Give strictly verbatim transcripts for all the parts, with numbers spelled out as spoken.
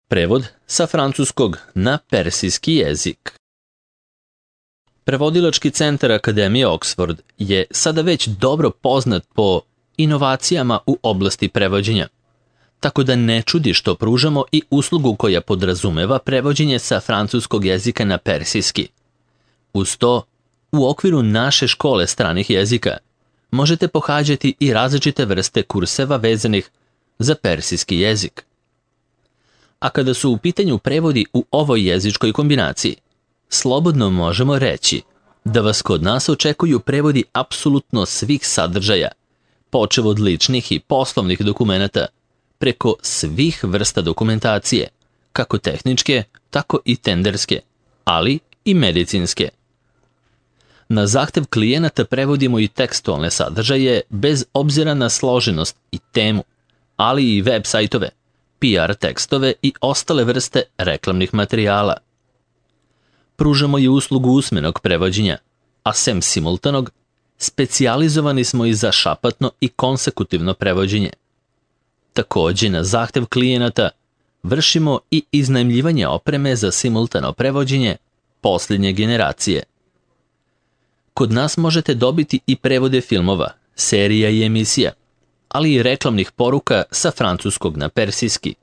Prevod sa francuskog na persijski jezik. Prevodilački centar Akademije Oxford je sada već dobro poznat po inovacijama u oblasti prevođenja, tako da ne čudi što pružamo i uslugu koja podrazumeva prevođenje sa francuskog jezika na persijski. Uz to, u okviru naše škole stranih jezika možete pohađati i različite vrste kurseva vezanih za persijski jezik. A kada su u pitanju prevodi u ovoj jezičkoj kombinaciji, slobodno možemo reći da vas kod nas očekuju prevodi apsolutno svih sadržaja, počev od ličnih i poslovnih dokumenata, preko svih vrsta dokumentacije, kako tehničke, tako i tenderske, ali i medicinske. Na zahtev klijenata prevodimo i tekstualne sadržaje bez obzira na složenost i temu, ali i web sajtove, P R tekstove i ostale vrste reklamnih materijala. Pružamo i uslugu usmenog prevođenja, a sem simultanog, specijalizovani smo i za šapatno i konsekutivno prevođenje. Također, na zahtev klijenata vršimo i iznajmljivanje opreme za simultano prevođenje posljednje generacije. Kod nas možete dobiti i prevode filmova, serija i emisija, ali i reklamnih poruka sa francuskog na persijski,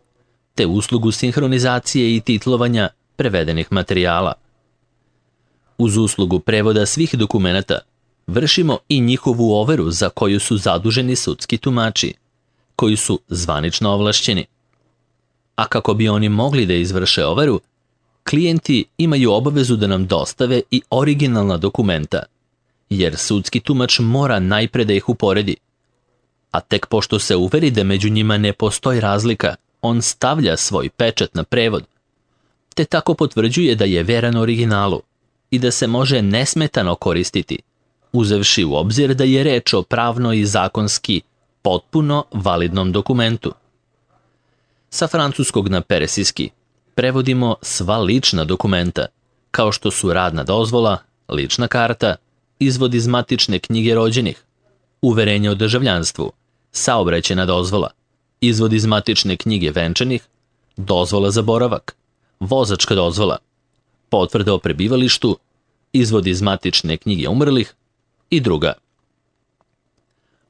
te uslugu sinhronizacije i titlovanja prevedenih materijala. Uz uslugu prevoda svih dokumenata vršimo i njihovu overu za koju su zaduženi sudski tumači, koji su zvanično ovlašćeni. A kako bi oni mogli da izvrše overu, klijenti imaju obavezu da nam dostave i originalna dokumenta, jer sudski tumač mora najpre da ih uporedi. A tek pošto se uveri da među njima ne postoji razlika, on stavlja svoj pečat na prevod, te tako potvrđuje da je veran originalu i da se može nesmetano koristiti, uzevši u obzir da je reč o pravno i zakonski potpuno validnom dokumentu. Sa francuskog na persijski prevodimo sva lična dokumenta, kao što su radna dozvola, lična karta, izvod iz matične knjige rođenih, uverenje o državljanstvu, saobraćajna dozvola, izvod iz matične knjige venčanih, dozvola za boravak, vozačka dozvola, potvrda o prebivalištu, izvod iz matične knjige umrlih i druga.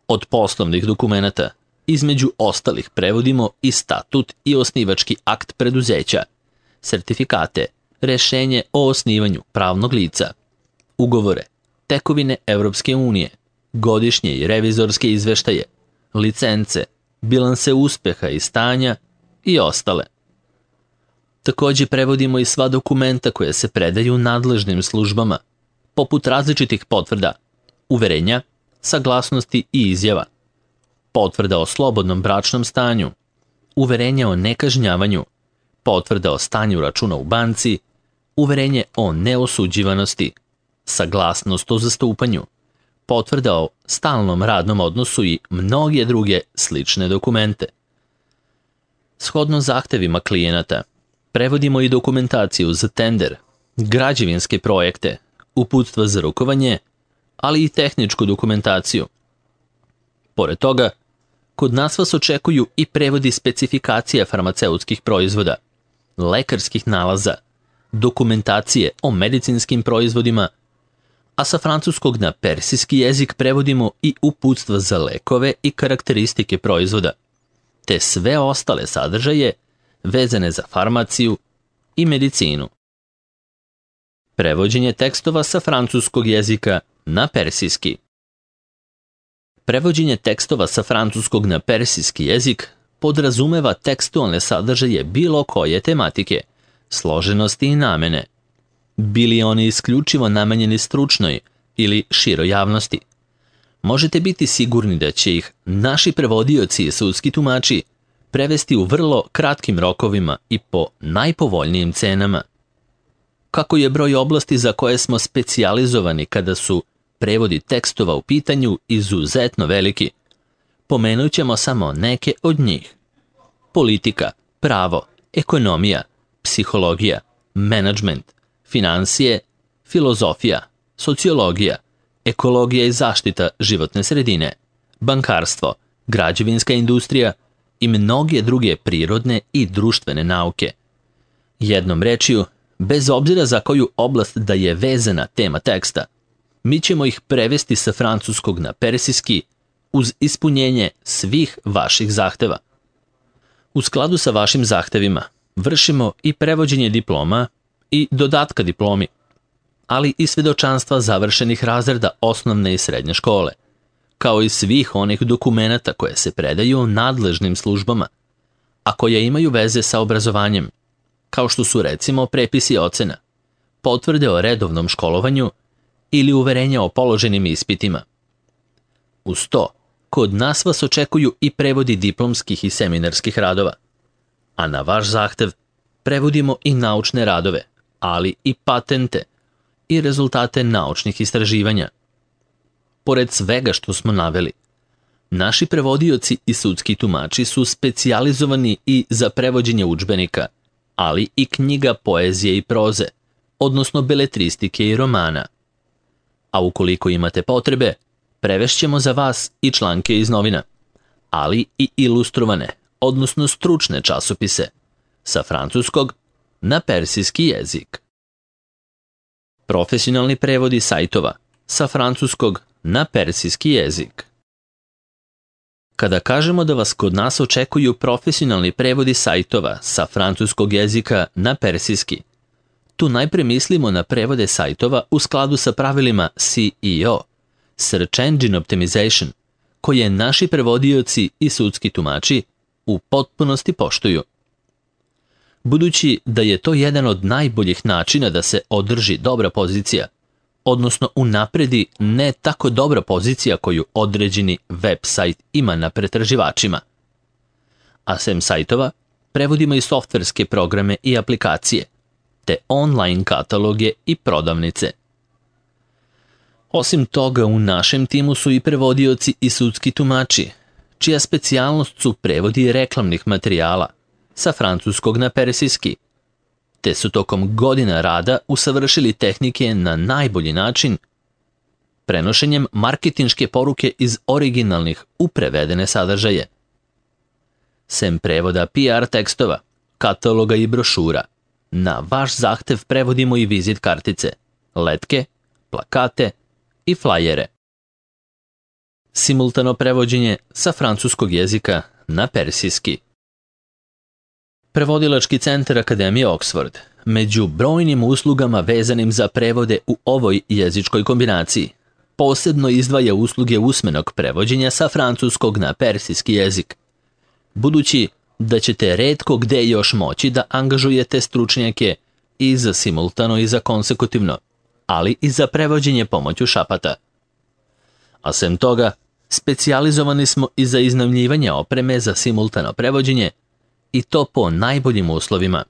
Od poslovnih dokumenata, između ostalih prevodimo i statut i osnivački akt preduzeća, sertifikate, rešenje o osnivanju pravnog lica, ugovore, tekovine Evropske unije, godišnje i revizorske izveštaje, licence, bilanse uspeha i stanja i ostale. Također prevodimo i sva dokumenta koje se predaju nadležnim službama, poput različitih potvrda, uverenja, saglasnosti i izjava, potvrda o slobodnom bračnom stanju, uverenje o nekažnjavanju, potvrda o stanju računa u banci, uverenje o neosuđivanosti, saglasnost o zastupanju, potvrda o stalnom radnom odnosu i mnoge druge slične dokumente. Shodno zahtevima klijenata, prevodimo i dokumentaciju za tender, građevinske projekte, uputstva za rukovanje, ali i tehničku dokumentaciju. Pored toga, kod nas vas očekuju i prevodi specifikacija farmaceutskih proizvoda, lekarskih nalaza, dokumentacije o medicinskim proizvodima, a sa francuskog na persijski jezik prevodimo i uputstva za lekove i karakteristike proizvoda, te sve ostale sadržaje vezane za farmaciju i medicinu. Prevođenje tekstova sa francuskog jezika na persijski. Prevođenje tekstova sa francuskog na persijski jezik podrazumeva tekstualne sadržaje bilo koje tematike, složenosti i namene, bili oni isključivo namenjeni stručnoj ili široj javnosti. Možete biti sigurni da će ih naši prevodioci i sudski tumači prevesti u vrlo kratkim rokovima i po najpovoljnijim cenama. Kako je broj oblasti za koje smo specijalizovani kada su prevodi tekstova u pitanju izuzetno veliki, pomenut ćemo samo neke od njih. Politika, pravo, ekonomija, psihologija, menadžment, financije, filozofija, sociologija, ekologija i zaštita životne sredine, bankarstvo, građevinska industrija i mnoge druge prirodne i društvene nauke, Jednom rečju, bez obzira za koju oblast da je vezana tema teksta, mi ćemo ih prevesti sa francuskog na persijski uz ispunjenje svih vaših zahteva. U skladu sa vašim zahtevima vršimo i prevođenje diploma i dodatka diplomi, ali i svedočanstva završenih razreda osnovne i srednje škole, kao i svih onih dokumenata koje se predaju nadležnim službama, a koje imaju veze sa obrazovanjem, kao što su recimo prepisi ocena, potvrde o redovnom školovanju ili uverenja o položenim ispitima. Uz to, kod nas vas očekuju i prevodi diplomskih i seminarskih radova, a na vaš zahtev prevodimo i naučne radove, ali i patente i rezultate naučnih istraživanja. Pored svega što smo naveli, naši prevodioci i sudski tumači su specijalizovani i za prevođenje udžbenika, ali i knjiga poezije i proze, odnosno beletristike i romana. A ukoliko imate potrebe, prevešćemo za vas i članke iz novina, ali i ilustrovane, odnosno stručne časopise, sa francuskog na persijski jezik. Profesionalni prevodi sajtova sa francuskog na persijski jezik. Kada kažemo da vas kod nas očekuju profesionalni prevodi sajtova sa francuskog jezika na persijski, tu najpre mislimo na prevode sajtova u skladu sa pravilima S E O, Search Engine Optimization, koje naši prevodioci i sudski tumači u potpunosti poštuju. Budući da je to jedan od najboljih načina da se održi dobra pozicija, odnosno unapredi ne tako dobra pozicija koju određeni web sajt ima na pretraživačima. A sem sajtova, prevodimo i softverske programe i aplikacije, te online kataloge i prodavnice. Osim toga, u našem timu su i prevodioci i sudski tumači, čija specijalnost su prevodi reklamnih materijala sa francuskog na persijski, te su tokom godina rada usavršili tehnike na najbolji način prenošenjem marketinške poruke iz originalnih u prevedene sadržaje. Sem prevoda P R tekstova, kataloga i brošura, na vaš zahtev prevodimo i vizit kartice, letke, plakate i flajere. Simultano prevođenje sa francuskog jezika na persijski. Prevodilački centar Akademije Oxford među brojnim uslugama vezanim za prevode u ovoj jezičkoj kombinaciji posebno izdvaja usluge usmenog prevođenja sa francuskog na persijski jezik, budući da ćete retko gde još moći da angažujete stručnjake i za simultano i za konsekutivno, ali i za prevođenje pomoću šapata. A sem toga, specijalizovani smo i za iznajmljivanje opreme za simultano prevođenje, i to po najboljim uslovima.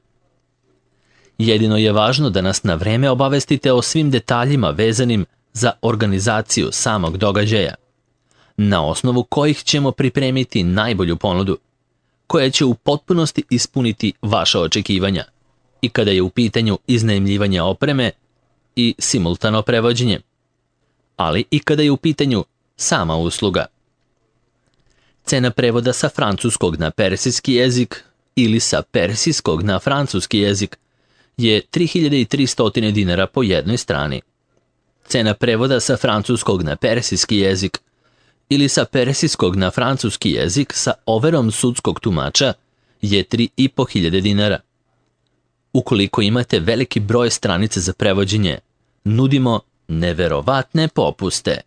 Jedino je važno da nas na vreme obavestite o svim detaljima vezanim za organizaciju samog događaja, na osnovu kojih ćemo pripremiti najbolju ponudu, koja će u potpunosti ispuniti vaša očekivanja, i kada je u pitanju iznajmljivanje opreme i simultano prevođenje, ali i kada je u pitanju sama usluga. Cena prevoda sa francuskog na persijski jezik ili sa persijskog na francuski jezik je tri hiljade tristo dinara po jednoj strani. Cena prevoda sa francuskog na persijski jezik ili sa persijskog na francuski jezik sa overom sudskog tumača je tri i po hiljade dinara. Ukoliko imate veliki broj stranica za prevođenje, nudimo neverovatne popuste.